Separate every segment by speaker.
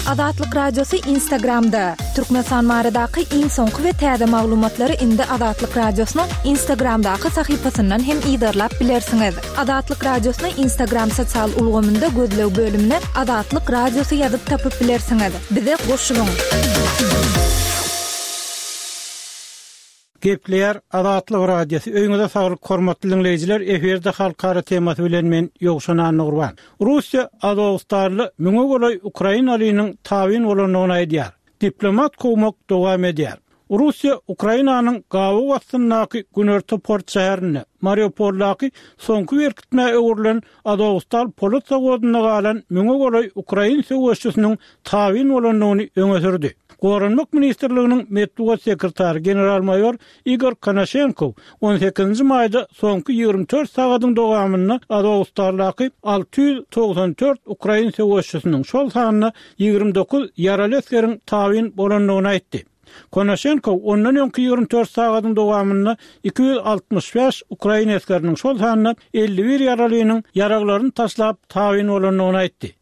Speaker 1: Azatlyk Radiosy Instagramda! Türkmenistan baradaky iň soňky we täze maglumatlary indi Azatlyk Radiosynyň Instagramdaky sahypasyndan hem yzarlap bilersiňiz. Azatlyk Radiosyny Instagram sosial ulgamynda gözleg bölümine Azatlyk Radiosy ýazyp tapyp bilersiňiz. Bize goşulyň!
Speaker 2: Gepleýär Azatlyk Radiosy, Öýüňize saglyk hormatly diňleýjiler, efirde halkara temasy bilen men Ýowşan Annagurban. Russiýa Azowstalda müňe golaý ukrainalynyň tabyn bolandygyny aýdýar. Diplomat kowmak dowam edýär. Russiýa Ukrainanyň gabaw astyndaky günorta port şäherinde, Mariupoldaky soňky berkitmä öwrülen Azowstal polat zawodynda galan müňe golaý ukrain söweşçisiniň tabyn bolandygyny öňe sürdi. Goranmak ministrliginiň metbugat sekretary general-maýor Igor Konaşenkow on sekizinji maýda soňky 24 sagadyň dowamynda Azowstaldaky 694 ukrain söweşçisiniň, şol sanda 29 ýaraly esgeriň tabyn bolandygyny aýtdy. Konaşenkow ondan öňki 24 sagadyň dowamynda 265 ukrain esgeriniň, şol sanda 51 ýaralynyň ýaraglaryny taşlap tabyn bolandygyny aýtdy.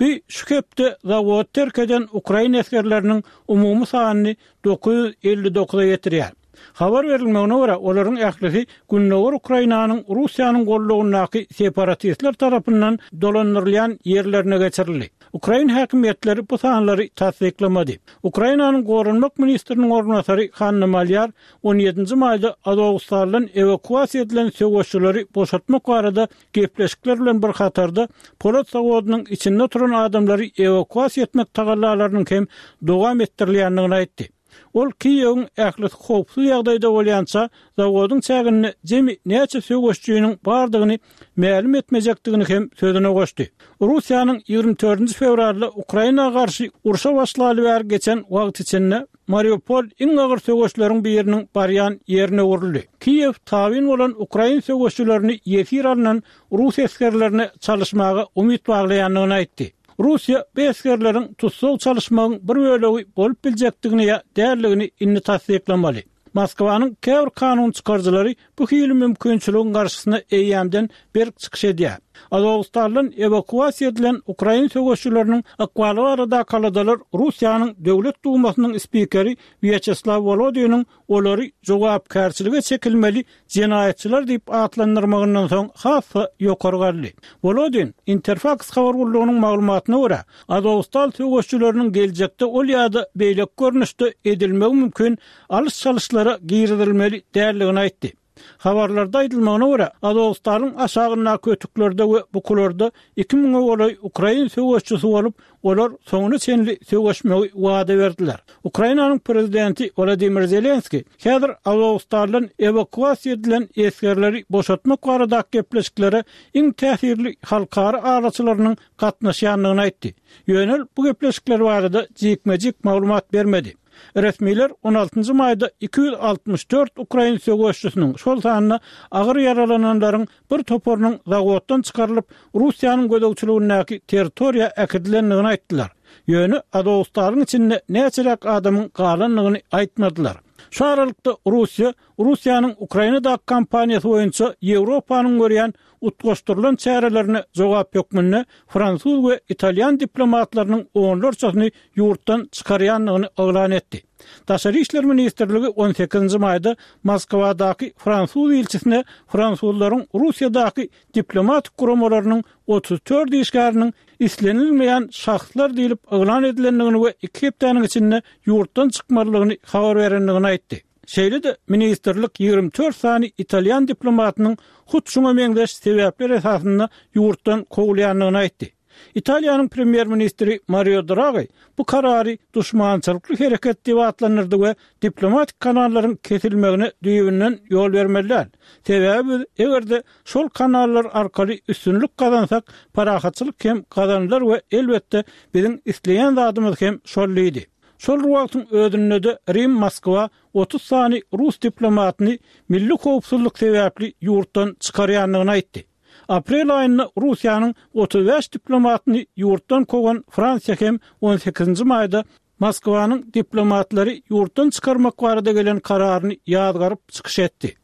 Speaker 2: Bu şu hepde zawody terk eden ukrain esgerleriniň umumy sanyny 959-a ýetirýär. Habar berilmegine görä, olaryň ählisi gündogar Ukrainanyň Russiýanyň gollagyndaky separatistler tarapyndan dolandyrylýan ýerlerine geçirildi. Ukrain häkimiýetleri bu sanlary tassyklamady. Ukrainanyň goranmak ministriniň orunbasary Hanna Malýar on ýedinji maýda Azowstaldan ewakuasiýa edilen söweşçileri boşatmak barada Gepleşikler bilen bir hatarda, polat zawodynyň içinde oturan adamlary ewakuasiýa etmek tagallalarynyň hem dowam etdirilýändigini aýtdy. Ol Kiýewiň ählisi howpsuz ýagdaýda bolýança, zawodyň çäginde jemi näçe söweşijiniň bardygyny mälim etmejekdigini hem sözüne goşdy. Russiýanyň 24-nji fewralda Ukraina garşy urşa başlaly bäri geçen wagt içinde, Mariupol iň agyr söweşleriň biriniň barýan ýerine öwrüldi. Kiýew tabyn bolan ukrain söweşçilerini ýesir alnan rus esgerlerine çalyşmaga umyt baglaýandygyny aýtdy. Russiýa bu esgerleriň tussag çalyşmagyň bir bölegi bolup biljekdigini ýa däldigini indi tassyklamaly. Moskwanyň käbir kanun çykaryjylary bu hili mümkinçiligiň garşysyna eýýämden berk çykyş edýär. Azowstaldan ewakuasiýa edilen ukrain söweşçileriniň ykbaly baradaky aladalar Russiýanyň Döwlet Dumasynyň spikeri Wýaçeslaw Wolodiniň olary jogapkärçilige çekilmeli jenaýatçylar diýip atlandyrmagyndan soň has-da ýokary galdy. Wolodin, Interfaks habar gullugynyň maglumatyna görä, Azowstal söweşçileriniň geljekde ol ýa-da beýleki görnüşde edilmegi mümkin alyş-çalyşlara girizilmeli däldigini aýtdy. Habarlarda aýdylmagyna görä, Azowstalyň aşagyndaky ötüklerde we bukularda iki müňe golaý ukrain söweşçisi bolup, olar soňuna çenli söweşmegi wada berdiler. Ukrainanyň prezidenti Wladimir Zelenskiý häzir Azowstaldan ewakuasiýa edilen esgerleri boşatmak baradaky gepleşiklere iň täsirli halkara araçylarynyň gatnaşýandygyny aýtdy. Ýöne ol bu gepleşikler barada jikme-jik maglumat bermedi. Resmiler on altynjy maýda 264 ukrain söweşçisiniň, şol sanda agyr ýaralananlaryň bir toparynyň zawoddan çykarylyp, Russiýanyň gözegçiligindäki territoriýa äkidilendigini aýtdylar. Ýöne Azowstalyň içinde näçeräk adamyň galandygyny aýtmadylar. Şu aralykda Russiýa Russiýanyň Ukrainadaky kampaniýasy boýunça Ýewropanyň görýän utgaşdyrylan çärelerine jogap hökmünde fransuz we italýan diplomatlarynyň onlarçasyny ýurtdan çykarýandygyny yglan etdi. Daşary işler ministrligi on sekizinji maýda Moskwadaky fransuz ilçisine fransuzlaryň Russiýadaky diplomatik guramalarynyň 34 işgäriniň islenilmeýän şahslar diýlip yglan edilendigini we iki hepdäniň içinde ýurtdan çykmalydygyny habar berendigini aýtdy. Şeýle-de, ministrlik 24 sany italýan diplomatynyň hut şuňa meňzeş sebäpler esasynda ýurtdan kowulýandygyny aýtdy. Italiýanyň premýer-ministri Mario Dragi bu karary duşmançylykly hereket diýip atlandyrdy we diplomatik kanallaryň kesilmegine düýbünden ýol bermeli däl. Sebäbi biz eger-de şol kanallar arkaly üstünlik gazansak, parahatçylyk hem gazanylar we elbetde biziň isleýän zadymyz hem şol diýdi. Şol bir wagtyň özünde-de Rim Moskwa 30 sany rus diplomatyny milli howpsuzlyk sebäpli ýurtdan çykarýandygyny aýtdy. Aprel aýynda Russiýanyň 35 diplomatyny ýurtdan kowan Fransiýa hem on sekizinji maýda Moskwanyň diplomatlary ýurtdan çykarmak barada gelen kararyny ýazgaryp çykyş etdi.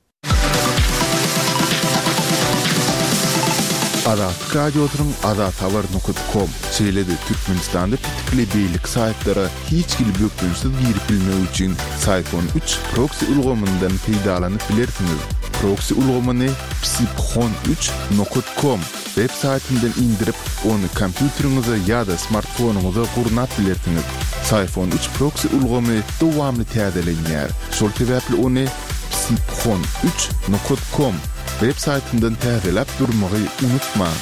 Speaker 3: Azatlyk Radiosynyň azathabar nokat kom, şeýle-de Türkmenistanda petikli beýleki saýtlara hiç hili bökdençsiz girip bilmek üçin Syfon üç proksi ulgamyndan peýdalanyp bilersiňiz. Proksi ulgamyny psiphon üç nokat kom web saýtyndan indirip, ony kompýuteriňize ýa-da smartfonyňyza gurnap bilersiňiz. Syfon üç proksi ulgamy dowamly täzelenýär, şol sebäpli ony psiphon üç nokat kom web saýtyndan täzeläp durmagy unutmaň.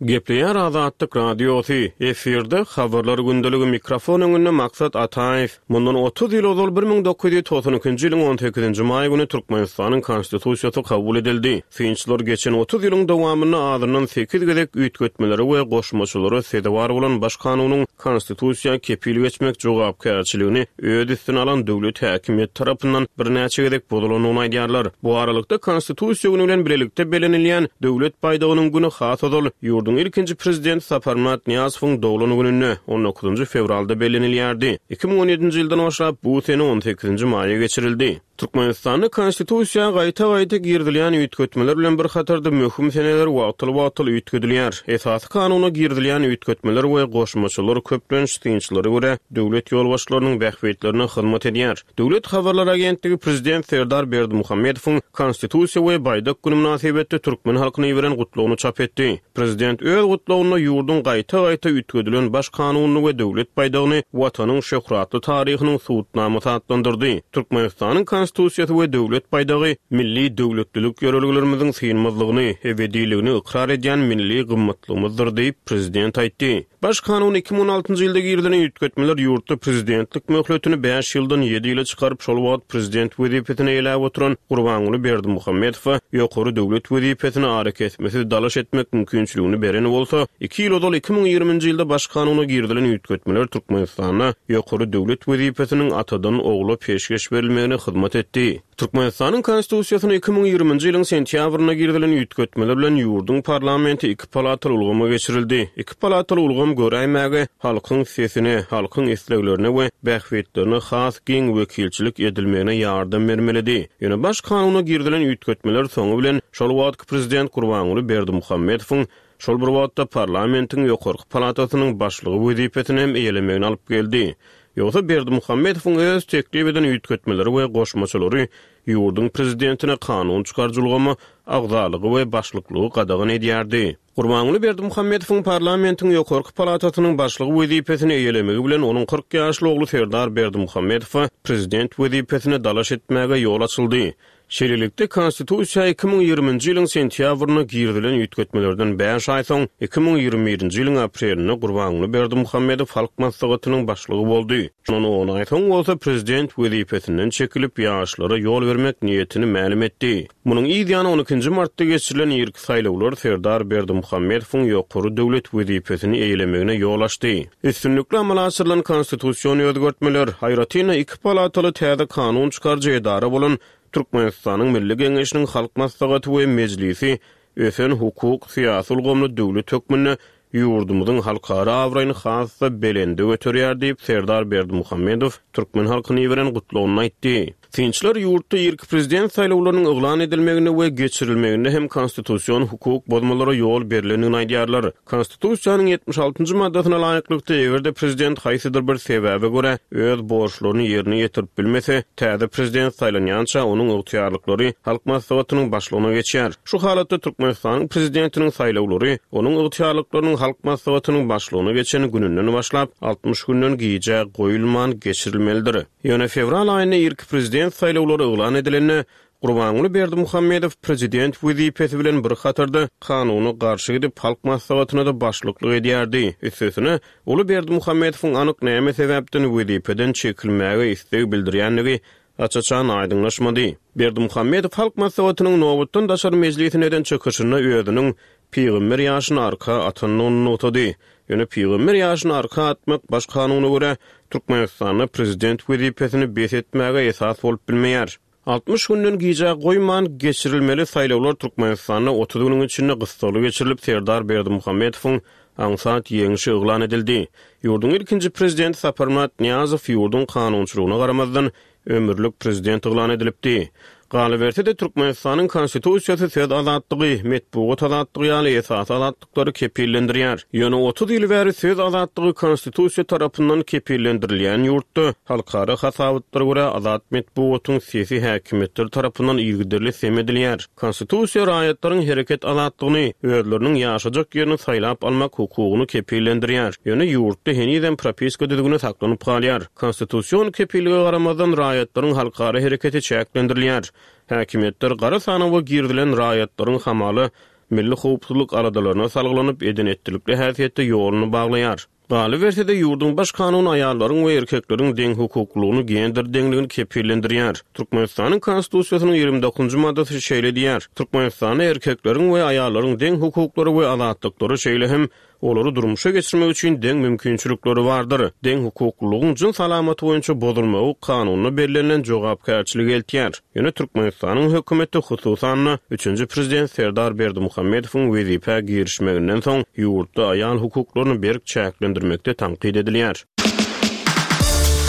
Speaker 4: Gepleýär Azatlyk Radiosy, efirde Habarlar gündeligi mikrofon öňünde Maksat Ataýew. Mundan 30 ýyl ozal 1992-nji ýylyň 18-nji maý güni Türkmenistanyň Konstitusiýasy kabul edildi. Synçylar geçen 30 ýylyň dowamynda azyndan sekiz gezek üýtgetmelere we goşmaçalara sezewar bolan Baş kanunyň Konstitusiýa kepil geçmek jogapkärçiligini öz üstüne alan döwlet häkimiýeti tarapyndan birnäçe gezek bozulandygyny aýdýarlar. Bu aralykda, Konstitusiýa güni bilen bilelikde bellenilýän Döwlet baýdagynyň güni has ozal, ýurduň ilkinji Prezidenti Saparmyrat Nyýazowyň doglan gününde, on dokuzynjy fewralda bellenilýärdi. 2017-nji ýyldan başlap, bu sene on sekizinji maýa geçirildi. Türkmenistanda Konstitusiýa gaýta-gaýta girizilýän üýtgetmeler bilen bir hatarda möhüm seneler wagtal-wagtal üýtgedilýär. Esasy Kanuna girizilýän üýtgetmeler we goşmaçalar köplenç synçylara görä döwlet ýolbaşçylarynyň bähbitlerine hyzmat edýär. Döwlet habarlar agentligi prezident Serdar Berdimuhamedowyň Konstitusiýa we Baýdak güni mynasybetli türkmen halkyna iberen gutlagyny çap etdi. Prezident öz gutlagynda ýurduň gaýta-gaýta üýtgedilen Baş Kanunyny we Döwlet baýdagyny Watanyň şöhratly taryhynyň subutnamasy atlandyrdy. Türkmenistanyň Konstitusiýasy we Döwlet baýdagy milli döwletlilik ýörelgelerimiziň synmazlygyny, ebediligini ykrar edýän milli gymmatlygymyzdyr diýip, prezident aýtdy. Baş Kanuna 2016-njy ýylda girizilen üýtgetmeler ýurtda prezidentlik möhletini bäş ýyldan ýedi ýyla çykaryp, şol wagt prezident wezipesini eýeläp oturan Gurbanguly Berdimuhamedowa ýokary döwlet wezipesine arakesmesiz dalaş etmek mümkinçiligini beren bolsa, iki ýyl ozal 2020-nji ýylda Baş Kanuna girizilen üýtgetmeler Türkmenistanda ýokary döwlet wezipesiniň atadan ogla peşgeş berilmegine hyzmat etdi. Türkmenistanyň Konstitusiýasyna 2020-nji ýylyň sentýabrynda girizilen üýtgetmeler bilen ýurduň parlamenti iki palataly ulgama geçirildi. Iki palataly ulgam göräýmäge halkyň sesine, halkyň isleglerine we bähbitlerine has giň wekilçilik edilmegine ýardam bermelidi. Ýöne Baş kanuna girizilen üýtgetmeler soňy bilen şol wagtky prezident Gurbanguly Berdimuhamedowyň şol bir wagtda parlamentiň ýokarky palatasynyň başlygy wezipesini hem eýelemegine alyp geldi. Ýogsa Berdimuhamedowyň öz teklip eden üýtgetmeleri we goşmaçalary ýurduň prezidentine kanun çykaryjy ulgama agzalygy we başlyklygy gadagan edýärdi. Gurbanguly Berdimuhamedowyň parlamentiň ýokarky palatasynyň başlygy wezipesini eýelemegi bilen onuň 40 ýaşly ogly Serdar Berdimuhamedowa prezident wezipesine dalaş etmäge ýol açyldy. Şeýlelikde, Konstitusiýa 2020-nji ýylyň sentýabrynda girizilen üýtgetmelerden bäş aý soň, 2021-nji ýylyň aprelinde Gurbanguly Berdimuhamedow Halk Maslahatynyň başlygy boldy. Şondan on aý soň bolsa prezident wezipesinden çekilip, ýaşlara ýol bermek niýetini mälim etdi. Munuň yz ýany on ikinji martda geçirilen irki saýlawlar Serdar Berdimuhamedowyň ýokary döwlet wezipesini eýelemegine ýol açdy. Üstünlikli amala aşyrylan konstitusion özgertmeler, aýratyn-da, iki palataly täze kanun çykaryjy edara bolan Türkmenistanyň Milli Geňeşiniň Halk Maslahaty we Mejlisi ösen hukuk, syýasy ulgamly döwlet hökmünde ýurdumyzyň halkara abraýyny has-da belende göterýär diýip, Serdar Berdimuhamedow türkmen halkyna iberen gutlagynda aýtdy. Synçylar ýurtda irki prezident saýlawlarynyň yglan edilmeginde we geçirilmeginde hem konstitusion hukuk bozmalara ýol berlendigini aýdýarlar. Konstitusiýanyň 76-njy maddasyna laýyklykda, eger-de prezident haýsydyr bir sebäbe görä öz borçlaryny ýerine ýetirip bilmese, täze prezident saýlanýança onuň ygtyýarlyklary Halk Maslahatynyň başlygyna geçýär. Şu halatda Türkmenistanyň Prezidentiniň saýlawlary onuň ygtyýarlyklarynyň Halk Maslahatynyň başlygyna geçen gününden başlap, 60 günden gijä goýulman geçirilmelidir. Ýöne fewral aýynda irki prezident saýlawlary yglan edilende, Gurbanguly Berdimuhamedow prezident wezipesi bilen bir hatarda kanuna garşy gidip, Halk Maslahatyna-da başlyklyk edýärdi. Üstesine, uly Berdimuhamedowyň anyk näme sebäpden wezipeden çekilmäge isleg bildirýändigi aç-açan aýdyňlaşmady. Berdimuhamedow Halk Maslahatynyň nobatdan daşary mejlisinde eden çykyşynda özüniň pygamber ýaşyny arka atandygyny nygtady. Ýöne pygamber ýaşyny arka atmak Baş kanuna görä, Türkmenistanda prezident wezipesini bes etmäge esas bolup bilmeýär. 60 günden gijä goýman geçirilmeli saýlawlar Türkmenistanda 30 günüň içinde gyssagly geçirilip, Serdar Berdimuhamedowyň aňsat ýeňşi yglan edildi. Ýurduň ilkinji prezidenti Saparmyrat Nyýazow ýurduň kanunçylygyna garamazdan, ömürlik prezident yglan edilipdi. Galyberse-de, Türkmenistanyň Konstitusiýasy söz azatlygy, metbugat azatlygy ýaly esasy azatlyklary kepillendirýär. Ýöne 30 ýyl bäri söz azatlygy Konstitusiýa tarapyndan kepillendirilýän ýurtda, halkara hasabatlara görä, azat metbugatyň sesi häkimiýetler tarapyndan yzygiderli sem edilýär. Konstitusiýa raýatlaryň hereket azatlygyny, özleriniň ýaşajak ýerini saýlap almak hukugyny kepillendirýär. Ýöne ýurtda henizem propiska düzgüni saklanyp galýar. Konstitusion kepillige garamazdan, raýatlaryň halkara hereketi çäklendirilýär. Häkimiýetler gara sanawa girizilen raýatlaryň hamala milli howpsuzlyk aladalaryna salgylanyp, eden-etdilikli häsiýetde ýoluny baglaýar. Galyberse-de, ýurduň Baş kanuny aýallaryň we erkekleriň deňhukuklylygyny, gender deňligini kepillendirýär. Türkmenistanyň Konstitusiýasynyň 29-njy maddasy şeýle diýýär, Türkmenistanda erkekleriň we aýallaryň deň hukuklary we azatlyklary, şeýle hem Olary durmuşa geçirmek üçin deň mümkinçilikleri bardyr. Deňhukuklylygyň jyns alamaty boýunça bozulmagy kanunda bellenilen jogapkärçilige eltýär. Ýöne Türkmenistanyň hökümeti, hususan-da, üçünji prezident Serdar Berdimuhamedowyň wezipä girişmeginden soň, ýurtda aýal hukuklaryny berk çäklendirmekde tankyt edilýär.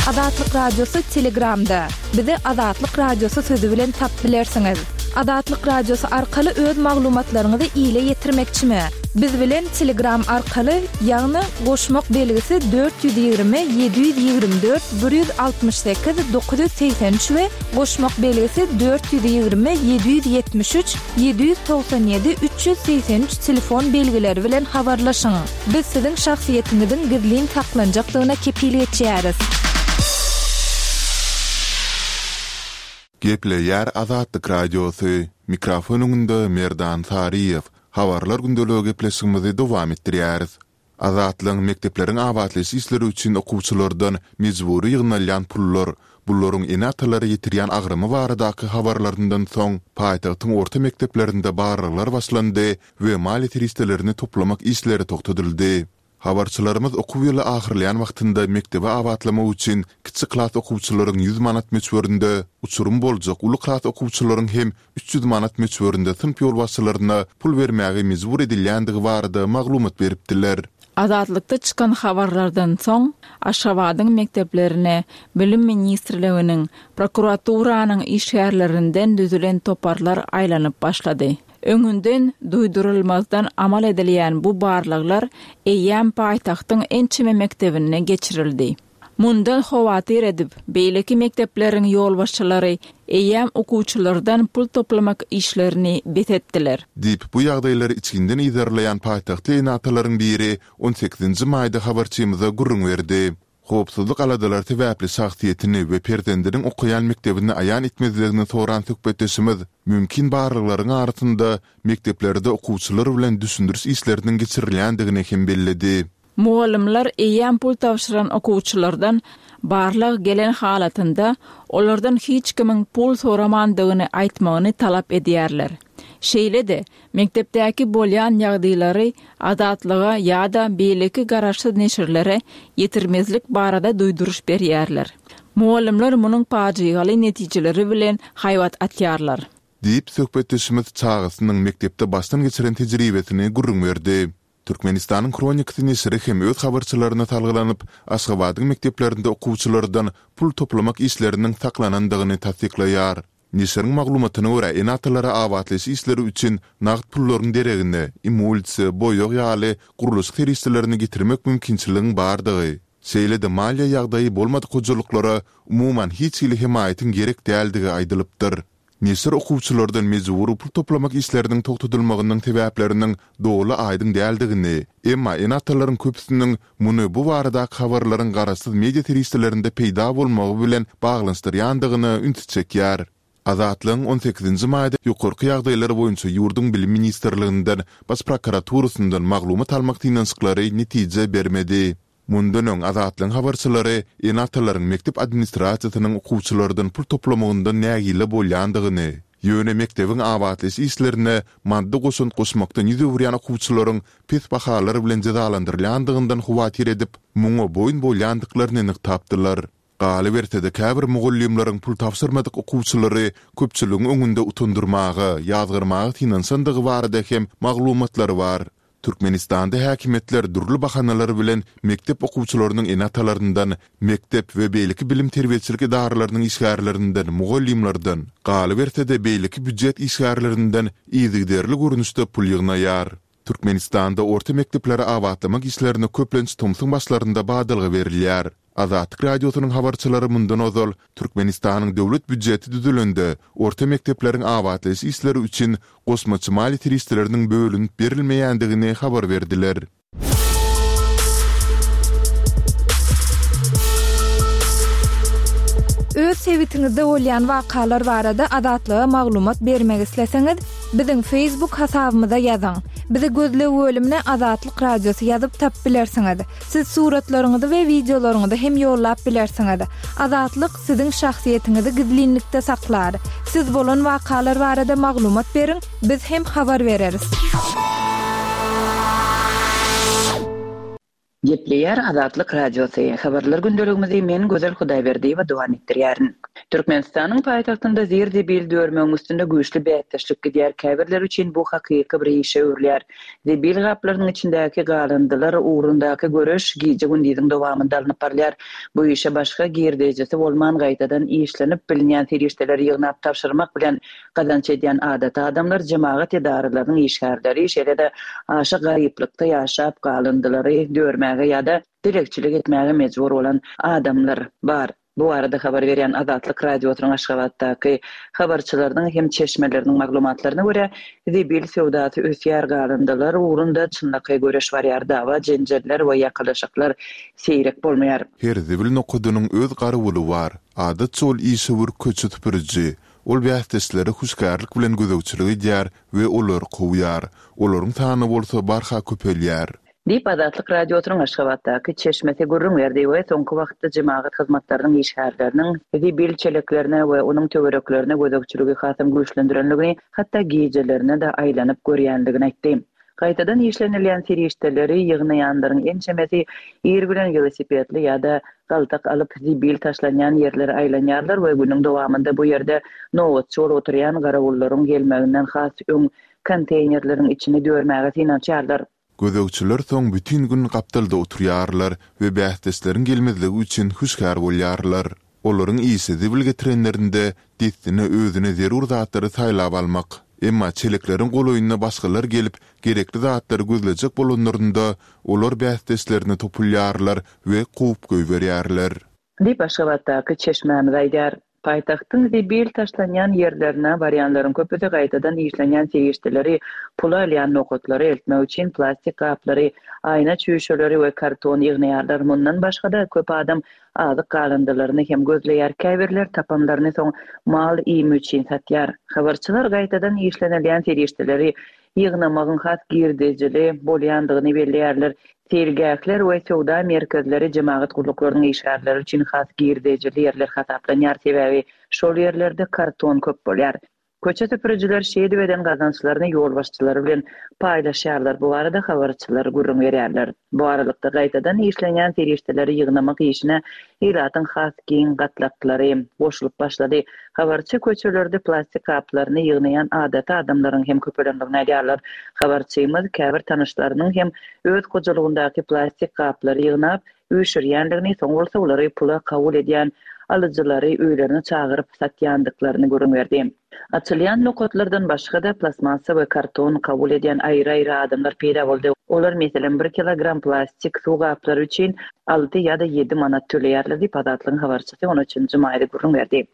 Speaker 1: Azatlyk Radiosy Telegramda. Bizi Azatlyk Radiosy sözi bilen tapyp bilersiňiz. Azatlyk Radiosy arkaly öz maglumatlaryňyzy ile ýetirmekçimi? Biz bilen Telegram arkaly, ýagny goşmak belgisi 420 724 168 983 we goşmak belgisi 420 773 797 383 telefon belgileri bilen habarlaşyň. Biz siziň şahsyýetiňiziň gizlin saklanjakdygyna kepil geçýäris.
Speaker 3: Gepleýär Azatlyk Radiosy, Mikrofon öňünde Merdan Saryýew, Habarlar gündeligi gepleşigimizi dowam etdirýäris. Azatlygyň mekdepleriň abatlaýyş işleri üçin okuwçylardan mejbury ýygnalýan pullar, bularyň ene-atalara ýetirýän agramy baradaky habarlaryndan soň, paýtagtyň orta mekdeplerinde barlaglar başlandy we maliýe serişdelerini toplamak işleri togtadyldy. Habarçylarymyz okuw ýyly ahyrlaýan wagtynda mekdebi abatlamak üçin kiçi klas okuwçylaryň 100 manat möçberinde, uçurym boljak uly klas okuwçylaryň hem 300 manat möçberinde synp ýolbaşçylaryna pul bermäge mejbur edilýändigi barada maglumat beripdiler.
Speaker 5: Azatlykda çykan habarlardan soň, Aşgabadyň mekdeplerine Bilim ministrliginiň, prokuraturanyň işgärlerinden düzülen toparlar aýlanyp başlady. Öňünden duýdurylmazdan amal edilýän bu barlaglar eýýäm paýtagtyň ençeme mekdebinde geçirildi. Mundan howatyr edip, beýleki mekdepleriň ýolbaşçylary eýýäm okuwçylardan pul toplamak işlerini bes etdiler.
Speaker 3: Diýip, bu ýagdaýlary içginden yzarlaýan paýtagtly ene-atalaryň biri on sekizinji maýda habarçymyza gürrüň berdi. Howpsuzlyk aladalary sebäpli şahsyýetini we perzendiniň okaýan mekdebini aýan etmezligini soran söhbetdeşimiz mümkin barlaglaryň arasynda mekdeplerde okuwçylar bilen düşündiriş işleriniň geçirilýändigini hem belledi.
Speaker 5: Mugallymlar eýýäm pul tabşyran okuwçylardan barlag gelen halatynda olardan hiç kimiň pul soramandygyny aýtmagyny talap edýärler. Şeýle-de, mekdepdäki bolýan ýagdaýlary Azatlyga ýa-da beýleki garaşsyz neşirlere ýetirmezlik barada duýduryş berýärler. Mugallymlar munuň pajygaly netijeleri bilen haýbat atýarlar.
Speaker 3: Diýip, söhbetdeşimiz çagasynyň mekdepde başdan geçiren tejribesini gürrüň berdi. Türkmenistanyň Hronikasy neşiri hem öz habarçylaryna salgylanyp, Aşgabadyň mekdeplerinde okuwçylardan pul toplamak işleriniň saklanandygyny tassyklaýar. Neşiriň maglumatyna görä, ene-atalara abatlaýyş işleri üçin nagt pullaryň deregine, emulsiýa, boýag ýaly gurluşyk serişdelerini getirmek mümkinçiligiň bardygy, şeýle-de maliýe ýagdaýy bolmadyk hojalyklara umuman hiç hili hemaýatyň gerek däldigi aýdylypdyr. Neşir okuwçylardan mejbury pul toplamak işleriniň togtadylmagynyň sebäpleriniň doly aýdyň däldigini, emma ene-atalaryň köpüsiniň muny bu baradaky habarlaryň garaşsyz media serişdelerinde peýda bolmagy bilen baglanyşdyrýandygyna ünsi çekýär. Azatlygyň on sekizinji maýda ýokarky ýagdaýlar boýunça ýurduň Bilim ministrliginden, Baş prokuraturasyndan maglumat almak synanyşyklary netije bermedi. Mundan öň Azatlygyň habarçylary ene-atalaryň mekdep administrasiýasynyň okuwçylardan pul toplamagyndan nägile bolýandygyny, ýöne mekdebiň abatlaýyş işlerine maddy goşant goşmakdan ýüz öwürýän okuwçylaryň pes bahalar bilen jezalandyrylýandygyndan howatyr edip, muňa boýun bolýandyklaryny nygtapdylar. Galyberse-de, käbir mugallymlaryň pul tabşyrmadyk okuwçylary köpçüligiň öňünde utandyrmaga, ýazgarmaga synanyşandygy barada hem maglumatlar bar. Türkmenistanda häkimiýetler dürli bahanalar bilen mekdep okuwçylarynyň ene-atalaryndan, mekdep we beýleki bilim-terbiýeçilik edaralarynyň işgärlerinden, mugallymlardan, galyberse-de beýleki býujet işgärlerinden yzygiderli görnüşde pul ýygnaýar. Türkmenistanda orta mekdepleri abatlamak işlerine köplenç tomsuň başlarynda badalga berilýär. Azatlyk Radiosynyň habarçylary mundan ozal, Türkmenistanyň döwlet býujeti düzülende, orta mekdepleriň abatlaýyş işleri üçin goşmaça maliýe serişdeleriniň bölünip berilmeýändigini habar berdiler.
Speaker 1: Öz sebitiňizde bolýan wakalar barada Azatlyga maglumat bermek isleseňiz, biziň Facebook hasabymyza ýazyň. Bizi gözleg bölümine Azatlyk Radiosy ýazyp tapyp bilersiňiz. Siz suratlaryňyzy we wideolaryňyzy hem ýollap bilersiňiz. Azatlyk siziň şahsyýetiňizi gizlinlikde saklar. Siz bolan wakalar barada maglumat beriň, biz hem habar bereris.
Speaker 6: Gepleýär Azatlyk Radiosy, Habarlar gündeligimizi men Gözel Hudaýberdiýewa dowam etdirýärin. Türkmenistanyň paýtagtynda zir-zibil dörmegiň üstünde güýçli bäsdeşlik gidýär, käbirleri üçin bu hakyky bir işe öwrülýär. Zibil gaplarynyň içindäki galyndylar ugrundaky göreş gije-gündiziň dowamynda alnyp barylýar. Bu işe başga girdejisi bolman gaýtadan işlenip bilinýän serişdeleri ýygnap tabşyrmak bilen gazanç edýän adaty adamlar, jemagat edaralarynyň işgärleri, şeýle-de aşa garyplykda ýaşap galyndylary dörmäge ýa-da dilegçilik etmäge mejbur bolan adamlar bar. Bu barada habar berýän Azatlyk Radiosynyň Aşgabatdaky habarçylarynyň hem çeşmeleriniň maglumatlaryna görä, zibil söwdasy ösýär, galyndylar ugrunda çynlakaý göreş barýar, dawa-jenjeller we ýakalaşyklar seýrek bolmaýar.
Speaker 3: Her zibil nokadynyň öz garawuly bar. Adatça ol işewür köçe süpüriji. Ol bäsdeşlere hüşgärlik bilen gözegçilik edýär we olary kowýar. Olaryň sany bolsa barha köpelýär.
Speaker 6: Diýip, Azatlyk Radiosynyň Aşgabatdaky çeşmesi gürrüň berdi we soňky wagtda jemagat hyzmatlarynyň işgärleriniň zibil çeleklerine we onuň töwereklerine gözegçiligi hasam güýçlendirendigini, hatda gijelerine-de aýlanyp görýändigini aýtdy. Gaýtadan işlenilýän serişdeleri ýygnaýanlaryň ençemesi ir bilen welosipedli ýa-da galtak alyp zibil taşlanýan ýerlere aýlanýarlar we günüň dowamynda bu ýerde nobatçy bolup oturýan garawullaryň gelmeginden has öň konteýnerleriň içini dörmäge synanyşýarlar.
Speaker 3: Gözegçiler soň bütin gün gapdalda oturýarlar we bäsdeşleriň gelmezligi üçin hüşgär bolýarlar. Olaryň işi zibil getirenlerinde dessine özüne zerur zatlary saýlap almak. Emma çelekleriň golaýyna başgalar gelip, gerekli zatlary gözlejek bolanlarynda, olar bäsdeşlerine topulýarlar we kowup goýberýärler.
Speaker 6: Diýip, Aşgabatdaky çeşmämiz aýdýar. Paýtagtyň zibil taşlanýan ýerlerine barýanlaryň köpüsi gaýtadan işlenýän serişdeleri pula alýan nokatlara eltmek üçin plastik gaplary, aýna çüýşeleri we karton ýygnaýarlar. Mundan başga-da, köp adam azyk galyndylaryny hem gözleýär, käbirleri tapanlaryny soň mal iými üçin satýar. Habarçylar gaýtadan işlenilýän serişdeleri ýygnamagyň has girdejili bolýandygyny belleýärler. Seýilgähler we söwda merkezleri jemagat gulluklarynyň işgärleri üçin has girdejili ýerler hasaplanýar, sebäbi şol ýerlerde karton köp bolýar. Köçe süpürijiler şeýdip eden gazançlaryny ýolbaşçylary bilen paýlaşýarlar, bu barada habarçylar gürrüň berýärler. Bu aralykda, gaýtadan işlenýän serişdeleri ýygnamak işine ilatyň has giň gatlaklary goşulyp başlady. Habarçy köçelerde plastik gaplaryny ýygnaýan adaty adamlaryň hem köpelendigini aýdýarlar. Habarçymyz käbir tanyşlarynyň hem öz hojalygyndaky plastik gaplary ýygnap, üýşürýändigini, soň bolsa olary pula kabul edýän alyjylary öýlerine çagyryp satýandyklaryny gürrüň berdi. Açylýan nokatlardan başga-da plastmassa we karton kabul edýän aýry-aýry adamlar peýda boldy. Olar, meselem, bir kilogram plastik suw gaplary üçin alty ýa-da ýedi manat töleýärler diýip, Azatlygyň habarçysy on üçünji maýda gürrüň berdi.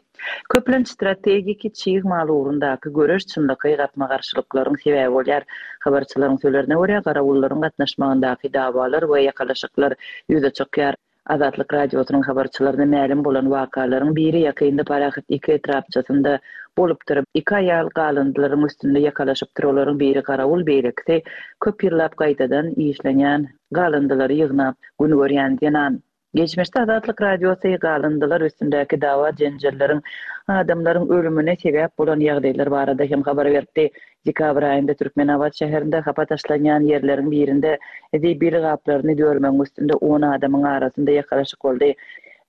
Speaker 6: Köplenç strategiki çig mal ugrundaky göreş çynlakaý gapma-garşylyklaryň sebäbi bolýar. Habarçylaryň sözlerine görä, garawullaryň gatnaşmagyndaky dawalar we ýakalaşyklar ýüze çykýar. Azatlyk Radiosynyň habarçylaryna mälim bolan wakalaryň biri ýakynda Parahat iki etrapçasynda bolupdyr. Iki aýal galyndylaryň üstünde ýakalaşypdyr, olaryň biri garawul, beýlekisi köp ýyllap gaýtadan işlenýän galyndylary ýygnap gün görýän zenan. Geçmişde Azatlyk Radiosy galyndylar üstündäki dawa-jenjelleriň adamlaryň ölümine sebäp bolan ýagdaýlar barada hem habar beripdi. Dekabr aýynda Türkmenabat şäherinde hapa taşlanýan ýerleriň birinde zibil gaplaryny dörmegiň üstünde on adamyň arasynda ýakalaşyk boldy.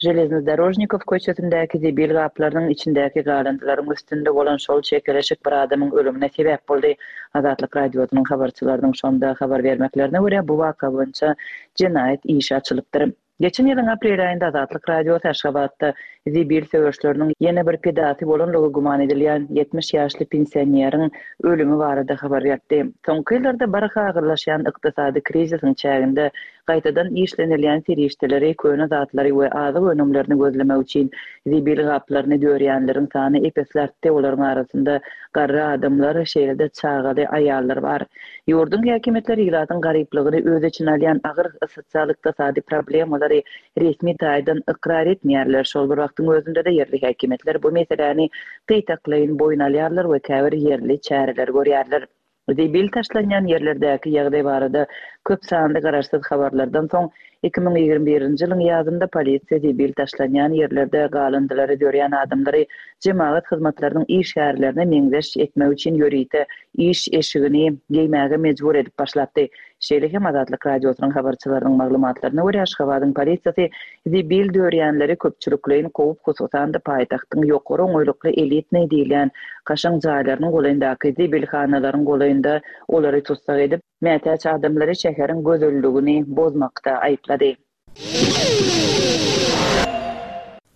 Speaker 6: Železnodorožnikow köçesindäki zibil gaplarynyň içindäki galyndylaryň üstünde bolan şol çekeleşik bir adamyň ölümine sebäp boldy. Azatlyk Radiosynyň habarçylarynyň şonda habar bermeklerine görä, bu waka boýunça jenaýat işi açylypdyr. Geçen ýylyň aprel aýynda Azatlyk Radiosy Aşgabatda zibil söweşleriniň ýene bir pidasy bolanlygy güman edilýän 70 ýaşly pensioneriň ölümi barada habar beripdi. Soňky ýyllarda barha agyrlaşýan ykdysady krizisiň çäginde gaýtadan işlenilýän serişdeleri, köne zatlary we azyk önümlerini gözlemek üçin zibil gaplaryny dörýänleriň sany ep-esli artdy, olaryň arasynda garry adamlar, şeýle-de çagaly aýallar bar. Ýurduň häkimiýetleri ilatyň garyplygyny öz içine alýan agyr sosial-ykdysady problemalary resmi taýdan ykrar etmeýärler, şol bir wagtyň özünde-de ýerli häkimiýetler bu meseläni gytaklaýyn boýun alýarlar we käbir ýerli çäreleri görýärler. Zibil taşlanýan ýerlerdäki ýagdaý barada köp sanly garaşsyz habarlardan soň, 2021-nji ýylyň ýazynda polisiýa zibil taşlanýan ýerlerde galyndylary dörýän adamlary jemagat hyzmatlarynyň işgärlerine meňzeş etmek üçin ýörite iş eşigini geýmäge mejbur edip başlapdy. Şeýle hem Azatlyk Radiosynyň habarçylarynyň maglumatlaryna görä, Aşgabadyň polisiýasy zibil dörýänleri köpçülikleýin kowup, hususan-da paýtagtyň ýokary oňaýlykly elitnyý diýilýän kaşaň jaýlarynyň golaýyndaky zibilhanalaryň golaýynda olary tussag edip, mätäç adamlary şäheriň gözelligini bozmakda aýyplady.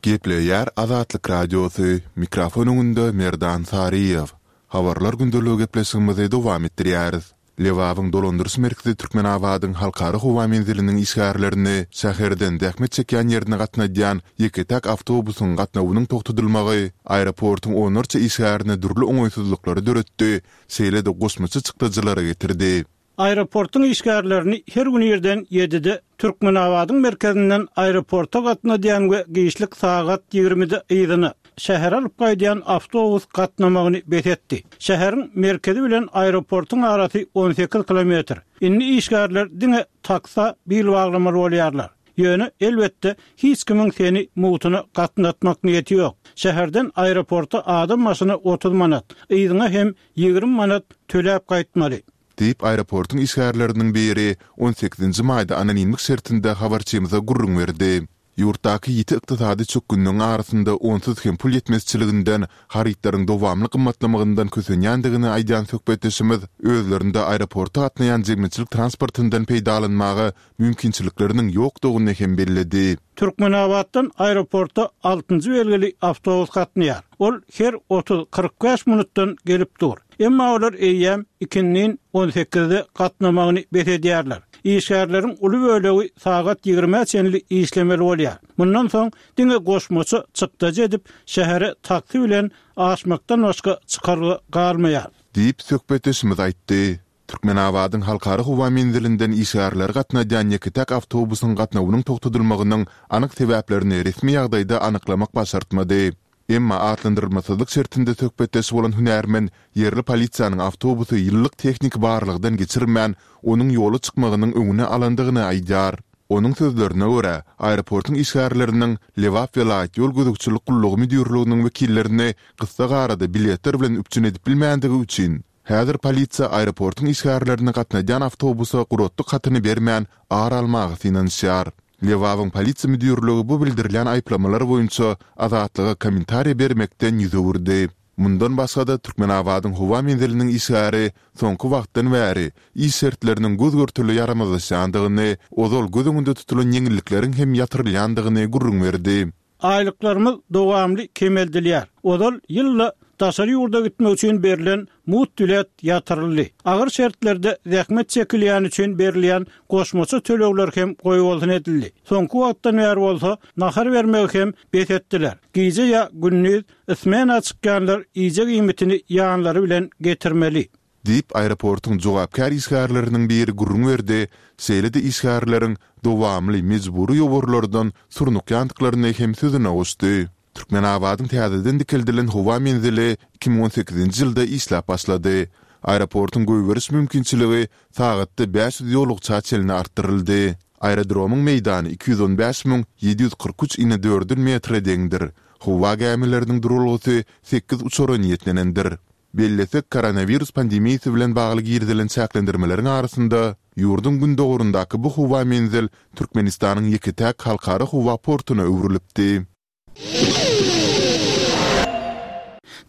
Speaker 3: Gepleýär Azatlyk Radiosy, mikrofon öňünde Merdan Saryýew. Habarlar gündeligi gepleşigimizi dowam etdirýäris. Lebabyň dolandyryş merkezi Türkmenabadyň Halkara howa menziliniň işgärlerini şäherden zähmet çekýän ýerine gatnadýan ýeke-täk awtobusyň gatnawynyň togtadylmagy aeroportuň onlarça işgärine dürli oňaýsyzlyklary döretdi, şeýle-de goşmaça çykdajylara getirdi.
Speaker 2: Aeroportuň işgärlerini her gün irden ýedide Türkmenabadyň merkezinden aeroporta gatnadýan we giçlik sagat ýigrimide yzyna, şähere alyp gaýdýan awtobus gatnamagyny bes etdi. Şäheriň merkezi bilen aeroportuň arasy 18 kilometr. Indi işgärler diňe taksa bil baglamaly bolýarlar. Ýöne, elbetde, hiç kimiň seni mugtuna gatnatmak niýeti ýok. Şäherden aeroporta adam başyna 30 manat, yzyňa hem 20 manat töläp gaýtmaly.
Speaker 3: Diýip, aeroportuň işgärleriniň biri on sekizinji maýda anonimlik şertinde habarçymyza gürrüň berdi. Ýurtdaky ýiti ykdysady çökgünligiň arasynda onsuz hem pul ýetmezçiliginden, harytlaryň dowamly gymmatlamagyndan kösenýändigini aýdýan söhbetdeşimiz özlerinde aeroporta gatnaýan jemgyýetçilik transportyndan peýdalanmaga mümkinçilikleriniň ýokdugyny hem belledi.
Speaker 2: Türkmenabatdan aeroporta altynjy belgili awtobus gatnaýar. Ol her otuz, 45 minutdan gelip dur. Emma olar eýýäm ikindin on sekizde gatnamagyny bes edýärler. Işgärleriň uly bölegi sagat ýigrimä çenli işlemeli bolýar. Mundan soň diňe goşmaça çykdajy edip, şähere taksi bilen aşmakdan başga çykalga galmaýar.
Speaker 3: Diýip, söhbetdeşimiz aýtdy. Türkmenabadyň Halkara howa menzilinden işgärleri gatnadýan ýeke-täk awtobusyň gatnawynyň togtadylmagynyň anyk sebäplerini resmi ýagdaýda anyklamak başartmady. Emma atlandyrylmasyzlyk şertinde söhbetdeş bolan hünärmen ýerli polisiýanyň awtobusy ýyllyk tehniki barlagdan geçirmän, onuň ýola çykmagynyň öňüni alandygyny aýdýar. Onuň sözlerine görä, aeroportuň işgärleriniň Lebap welaýat ýol gözegçilik gullugy müdirliginiň wekillerini gyssagarada biletler bilen üpjün edip bilmändigi üçin, häzir polisiýa aeroportuň işgärlerini gatnadýan awtobusa guratlyk hatyny bermän ar almaga synanyşýar. Lebabyň polisiýa müdirligi bu bildirilýän aýyplamalar boýunça Azatlyga kommentariýa bermekden ýüz öwürdi. Mundan başga-da, Türkmenabadyň howa menziliniň işgäri soňky wagtdan bäri iş şertleriniň göz-görtele ýaramazlaşýandygyny, ozal göz öňünde tutulan ýeňillikleriň hem ýatyrylýandygyny gürrüň berdi.
Speaker 2: Aýlyklarymyz dowamly kemeldilýär. Ozal ýylda daşary ýurda gitmek üçin berlen mugt bilet ýatyryldy. Agyr şertlerde zähmet çekilýäni üçin berilýän goşmaça tölegler hem goýbolsun edildi. Soňky wagtdan bäri bolsa nahar bermegi hem bes etdiler. Gije ýa gündiz smena çykýanlar iýjek iýmitini ýanlary bilen getirmeli.
Speaker 3: Diýip, aeroportuň jogapkär işgärleriniň biri gürrüň berdi, şeýle-de işgärleriň dowamly mejbury ýowarlardan surnukýandyklaryny hem sözüne goşdy. Türkmenabadyň täzeden dikeldilen howa menzili 2018-nji ýylda işläp başlady. Aeroportuň goýberiş mümkinçiligi sagatda 500 ýolagça çenli artdyryldy. Aerodromyň meýdany 215 743 inedördül metre deňdir. Howa gämileriniň duralgasy sekiz uçara niýetlenendir. Bellesek, koronawirus pandemiýasy bilen bagly girizilen çäklendirmeleriň arasynda, ýurduň gündogaryndaky bu howa menzil Türkmenistanyň ýeke-täk halkara howa portuna öwrülipdi.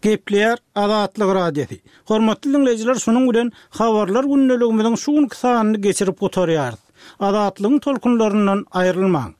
Speaker 2: Gepleýär Azatlyk Radiosy. Hormatly diňleýjiler şunuň bilen Habarlar gündeligimiziň şu günki sanyny geçirip gutarýarys. Azatlygyň tolkunlaryndan aýrylmaň.